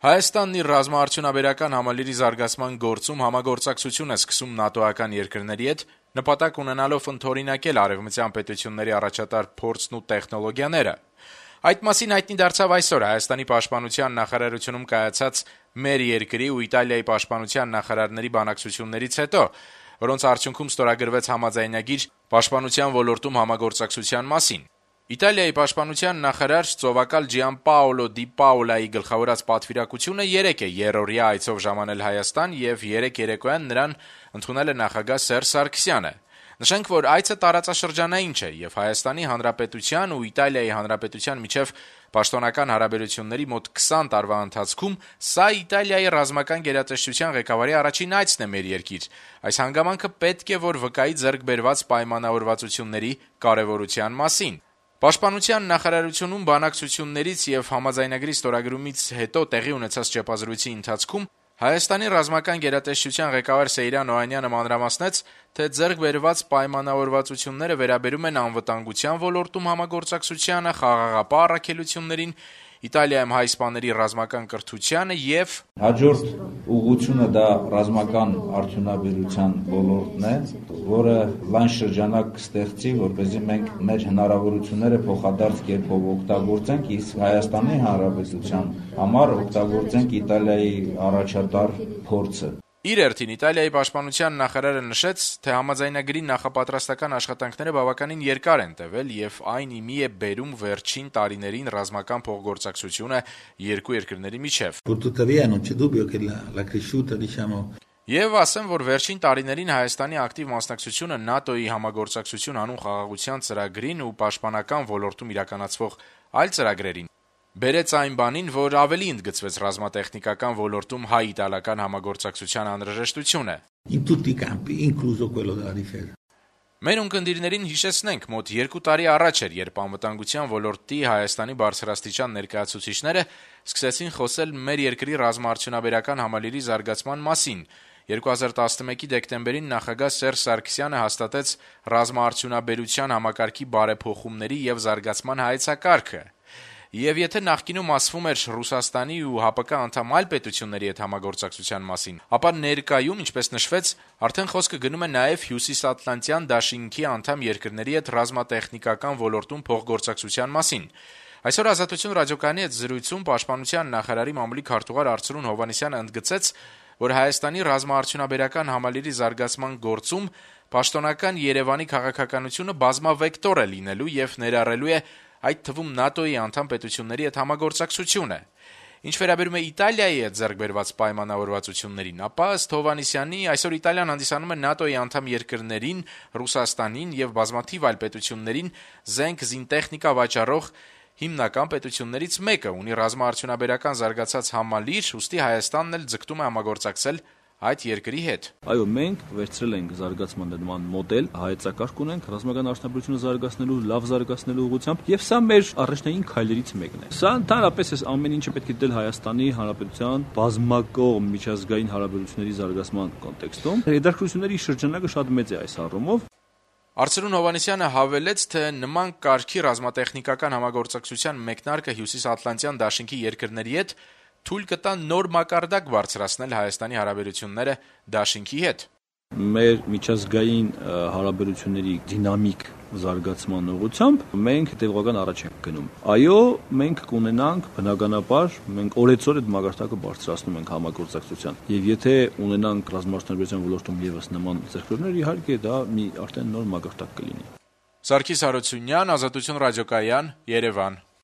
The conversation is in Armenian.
Հայաստանն իր ռազմաարդյունաբերական համալիրի զարգացման գործում համագործակցություն է սկսում ՆԱՏՕ-ական երկրների հետ, նպատակ ունենալով ընդօրինակել արևմտյան պետությունների առաջատար փորձն ու տեխնոլոգիաները։ Այդ մասին հայտնի դարձավ այսօր Հայաստանի պաշտպանության նախարարությունում կայացած մեր երկրի ու Իտալիայի պաշտպանության նախարարների բանակցություններից հետո, որոնց արդյունքում ստորագրվեց համաձայնագիր պաշտպանության ոլորտում համագործակցության մասին։ Իտալիայի պաշտպանության նախարար ծովակալ Ջիանպաոլո Դի Պաոլայի գլխավորած պատվիրակությունը 3 է երրորդյա այցով ժամանել Հայաստան եւ 3 երեկոյան նրան ընդունել է նախագահ Սերժ Սարգսյանը։ Նշենք, որ այցը տարածաշրջանային չէ եւ Հայաստանի Հանրապետության ու Իտալիայի Հանրապետության միջև պաշտոնական հարաբերությունների մոտ 20 տարվա ընթացքում սա Իտալիայի ռազմական գերատեսչության ղեկավարի առաջին այցն է մեր երկիր։ Այս հանգամանքը պետք է որ վկայի ձեռք բերված պայմանավորվածությունների կարեւորության մասին։ Պաշտպանության նախարարությունում բանակցություններից եւ համաձայնագրի ստորագրումից հետո տեղի ունեցած ճեպազրույցի ընթացքում Հայաստանի ռազմական գերատեսչության ղեկավար Սեյրան Օհանյանը մանրամասնեց, թե ձեռք բերված պայմանավորվածությունները վերաբերում են անվտանգության ոլորտում համագործակցությանը, խաղաղապահ առաքելություններին, Իտալիայում հայ իսպաների ռազմական կրթությանը եւ հաջորդ ուղղությունը դա ռազմական արդյունաբերության ոլորտն է, որը լայն շրջանակ կստեղծի, որպեսզի մենք մեր հնարավորությունները փոխադարձ կերպով օգտագործենք, իսկ Հայաստանի Հանրապետության համար օգտագործենք Իտալիայի առաջատար փորձը։ Իր հերթին Իտալիայի պաշտպանության նախարարը նշեց, թե համաձայնագրի նախապատրաստական աշխատանքները բավականին երկար են տևել եւ այն իմի է բերում վերջին տարիներին ռազմական փոխգործակցությունը երկու երկրների միջև։ Եվ ասեմ, որ վերջին տարիներին Հայաստանի ակտիվ մասնակցությունը ՆԱՏՕ-ի համագործակցություն անուն խաղաղության ծրագրին ու պաշտպանական ոլորտում իրականացվող այլ ծրագրերին բերեց այն բանին, որ ավելի ընդգծվեց ռազմատեխնիկական ոլորտում հայ-իտալական համագործակցության անհրաժեշտությունը։ Մեր ունկնդիրներին հիշեցնենք, մոտ 2 տարի առաջ էր, երբ անվտանգության ոլորտի Հայաստանի բարձրաստիճան ներկայացուցիչները սկսեցին խոսել մեր երկրի ռազմաարդյունաբերական համալիրի զարգացման մասին։ 2011-ի դեկտեմբերին նախագահ Սերժ Սարգսյանը հաստատեց ռազմաարդյունաբերության համակարգի բարեփոխումների եւ զարգացման հայեցակարգը։ Եվ եթե նախկինում ասվում էր Ռուսաստանի ու ՀԱՊԿ անդամ այլ պետությունների հետ համագործակցության մասին, ապա ներկայում, ինչպես նշվեց, արդեն խոսքը գնում է նաև Հյուսիսատլանտյան դաշինքի անդամ երկրների հետ ռազմատեխնիկական ոլորտում փոխգործակցության մասին։ Այսօր Ազատություն ռադիոկայանի հետ զրույցում պաշտպանության նախարարի մամուլի քարտուղար Արծրուն Հովհաննիսյանը ընդգծեց, որ Հայաստանի ռազմաարդյունաբերական համալիրի զարգացման գործում պաշտոնական Երևանի քաղաքականությունը բազմավեկտոր է լինելու եւ ներառելու է այդ թվում ՆԱՏՕ-ի անդամ պետությունների հետ համագործակցությունը։ Ինչ վերաբերում է Իտալիայի հետ ձեռք բերված պայմանավորվածություններին, ապա ըստ Հովհաննիսյանի այսօր Իտալիան հանդիսանում է ՆԱՏՕ-ի անդամ երկրներին, Ռուսաստանին եւ բազմաթիվ այլ պետություններին զենք, զինտեխնիկա վաճառող հիմնական պետություններից մեկը, ունի ռազմաարդյունաբերական զարգացած համալիր, ուստի Հայաստանն էլ ձգտում է համագործակցել այդ երկրի հետ։ Այո, մենք վերցրել ենք զարգացման նման մոդել, հայեցակարգ ունենք ռազմական արդյունաբերությունը զարգացնելու, լավ զարգացնելու ուղղությամբ, եւ սա մեր առաջնային քայլերից մեկն է։ Սա ընդհանրապես այս ամեն ինչը պետք է դիտել Հայաստանի Հանրապետության բազմակողմ միջազգային հարաբերությունների զարգացման կոնտեքստում։ Հետաքրքրությունների շրջանակը շատ մեծ է այս առումով։ Արծրուն Հովհաննիսյանը հավելեց, թե նման կարգի ռազմատեխնիկական համագործակցության մեկնարկը Հյուսիսատլանտյան դաշինքի երկրների հետ թույլ կտա նոր մակարդակ բարձրացնել Հայաստանի հարաբերությունները դաշինքի հետ։ Մեր միջազգային հարաբերությունների դինամիկ զարգացման ուղղությամբ մենք հետևողական առաջ ենք գնում։ Այո, մենք կունենանք բնականաբար, մենք օրեցօր այդ մակարդակը բարձրացնում ենք համագործակցության։ Եվ եթե ունենանք ռազմաարդյունաբերության ոլորտում եւս նման ձեռքբերումներ, իհարկե դա մի արդեն նոր մակարդակ կլինի։ Սարգիս Հարությունյան, Ազատություն ռադիոկայան, Երևան։